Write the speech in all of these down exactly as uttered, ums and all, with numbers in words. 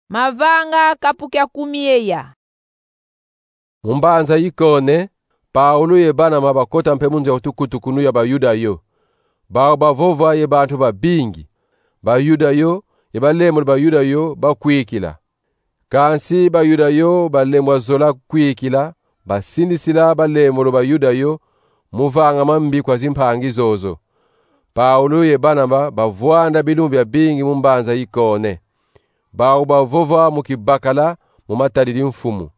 Mavanga kapu kia kumi ye ya. Mu mbanza Ikone, Paulo ye Banaba bakota mpe mu nzo ya tukutukunu ya Bayuda yo. Bawu bavova ye bantu babingi. Bayuda yo ye balembolo Bayuda yo bakwikila. Kansi Bayuda yo balembwa zola kwikila, basindisila balembolo Bayuda yo mu vanga mambi kwa zimpangi zozo. Paulo ye Banaba bavwanda bilumbu biabingi mu mbanza Ikone. Bawu bavova mu kibakala mu matadidi mfumu.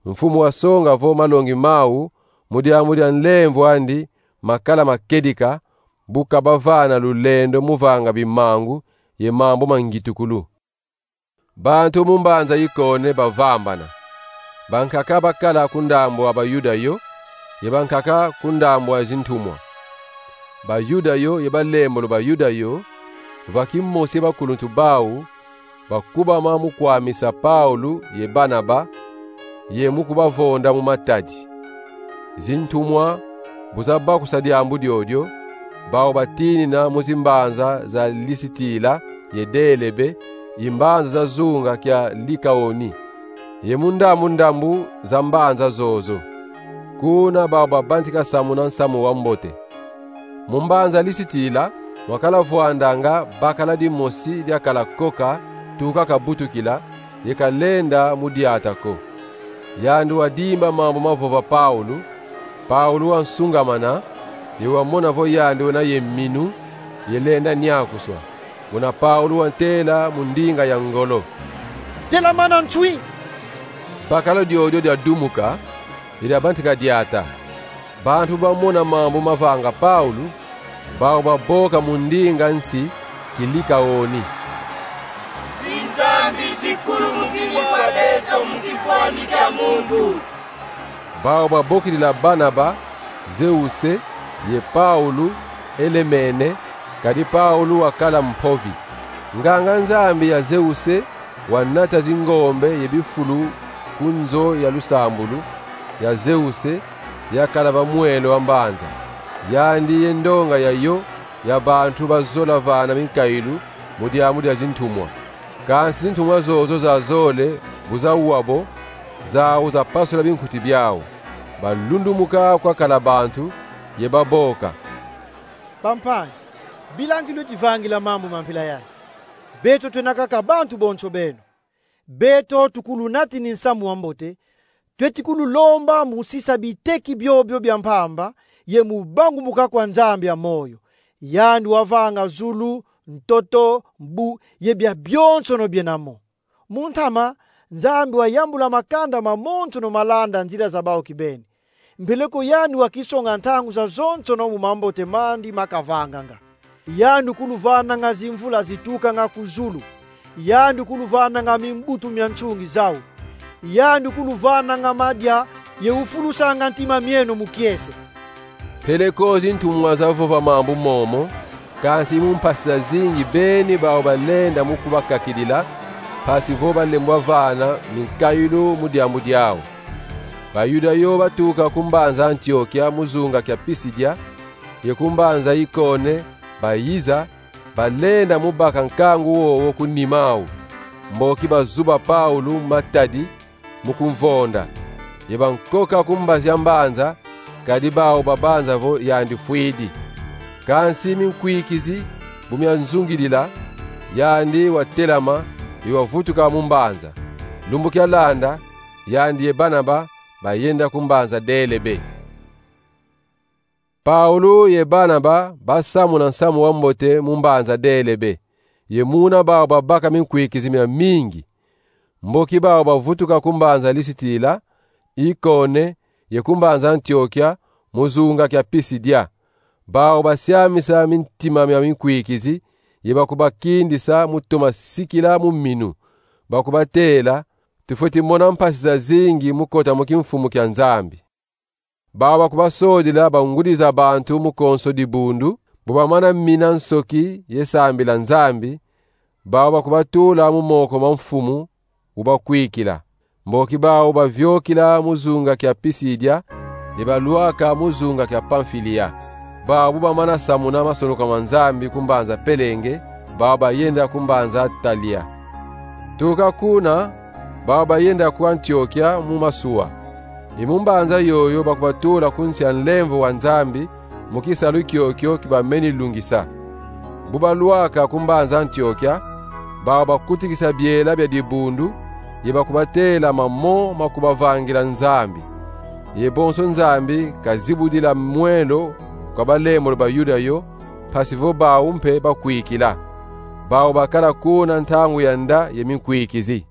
Mfumu wasonga vo malongi mawu mu diambu dia nlemvo andi makala ma kedika, bu kabavana lulendo mu vanga bimangu ye mambu ma ngitukulu. Bantu mu mbanza Ikone bavambana. Bankaka bakala ku ndambu a Bayuda yo, ye bankaka ku ndambu a zintumwa. Bayuda yo ye balembolo Bayuda yo, va kimosi ye bakuluntu bawu, bakubama mu kwamisa Paulo ye Banaba, ye mu kubavonda mu matadi. Zintumwa bu zabakusa diambu diodio, bawu batinina mu zimbanza za Lisitila ye Delebe, i mbanza za zunga kia Likaoni, ye mu ndambu ndambu za mbanza zozo. Kuna bawu babantika samuna nsamu wa mbote. Mu mbanza Lisitila, mwakala vwandanga bakala dimosi diakala koka tuka kabutukila, ye kalenda mu diata ko. Yandi wadimba mambu mavova Paulo. Paulo wansungamana, ye wamona vo yandi wena ye minu, ye lenda niakuswa. Muna Paulo wantela mu ndinga ya ngolo: Telamana nswi! Bakala diodio diadumuka, ye diabantika diata. Bantu bamona mambu mavanga Paulo, bawu baboka mu ndinga nsi Kilikaoni: Zinzambi zikulumukini kwa beto mu kifwani kia muntu. Bawu babokidila Banaba Zeuse, ye Paulo Elemene, kadi Paulo wakala mpovi. Nganga-Nzambi ya Zeuse wanata zingombe ye bifulu ku nzo ya lusambulu ya Zeuse, yakala va mwelo wa mbanza. Yandi ye ndonga ya yo ya bantu bazola vana minkailu mu diambu dia zintumwa. Kansi zintumwa zozo zazole bu zawa bo, zawu zapasula binkuti biawu. Balundumuka kwakala bantu, ye baboka: Bampangi, bila nki lweti vangila mambu ma mpila yayi? Beto twena kaka bantu bonso beno. Beto tukulunatini nsamu wa mbote, tweti kululomba mu sisa biteki biobio bia mpamba, ye mu bangumuka kwa Nzambi ya moyo. Yandi wavanga zulu, ntoto, mbu, ye biabionsono biena mo. Mu ntama, Nzambi wayambula makanda mamonsono malanda nzila za bawu kibeni. Mpeleko yandi wakisonga ntangu zazonsono mu mambote mandi makavanganga. Yandi kuluvananga zimvula zitukanga ku zulu. Yandi kuluvananga mimbutu mia nsungi zawu. Yandi kuluvananga madia, ye ufulusanga ntima mieno mu kiese. Mpeleko zintumwa zavova mambu momo, kansi mu mpasi zazingi beni bawu balenda mu kubakakidila, mpasi vo balembwa vana minkailu mu diambu diawu. Bayuda yo batuka ku mbanza Antiokia mu zunga kia Pisidia, ye ku mbanza Ikone bayiza, balenda mu baka nkangu wowo ku nima awu, mboki bazuba Paulo mu matadi, mu kumvonda. Ye bankoka ku mbazi ya mbanza, kadi bawu babanza vo yandi fwidi. Kansi minkwikizi bu mianzungidila, yandi watelama, ye wavutuka mu mbanza. Lumbu kialanda, yandi ye Banaba bayenda ku mbanza Delebe. Paulo ye Banaba basamuna nsamu wa mbote mu mbanza Delebe, ye muna bawu babaka minkwikizi miamingi. Mboki bawu bavutuka ku mbanza Lisitila, Ikone, ye ku mbanza Antiokia, mu zunga kia Pisidia. Bawu basiamisa mintima mia minkwikizi, ye bakubakindisa mu toma sikila mu minu. Bakubatela: Tufweti mona mpasi zazingi mu kota mu kimfumu kia Nzambi. Bawu bakubasodila bangudi za bantu mu konso dibundu, bu bamana mina nsoki ye sambila Nzambi, bawu bakubatula mu moko ma mfumu ubakwikila. Mboki bawu baviokila mu zunga kia Pisidia, ye balwaka mu zunga kia Pamfilia. Bawu bu bamana samuna masonoka ma Nzambi ku mbanza Pelenge, bawu bayenda ku mbanza Talia. Tuka kuna, bau bayenda ku Antiokia mu masuwa. I mu mbanza yoyo bakubatula ku nsi a nlemvo wa Nzambi, mu kisalu kiokio ki bameni lungisa. Bu balwaka ku mbanza Antiokia, bau bakutikisa biela bia dibundu, ye bakubatela mamo ma kubavangila Nzambi. Ye bonso Nzambi kazibudila mwelo kwa balembolo ba Yuda yo, mpasi vo bau mpe bakwikila. Bau bakala kuna ntangu ya nda ye minkwikizi.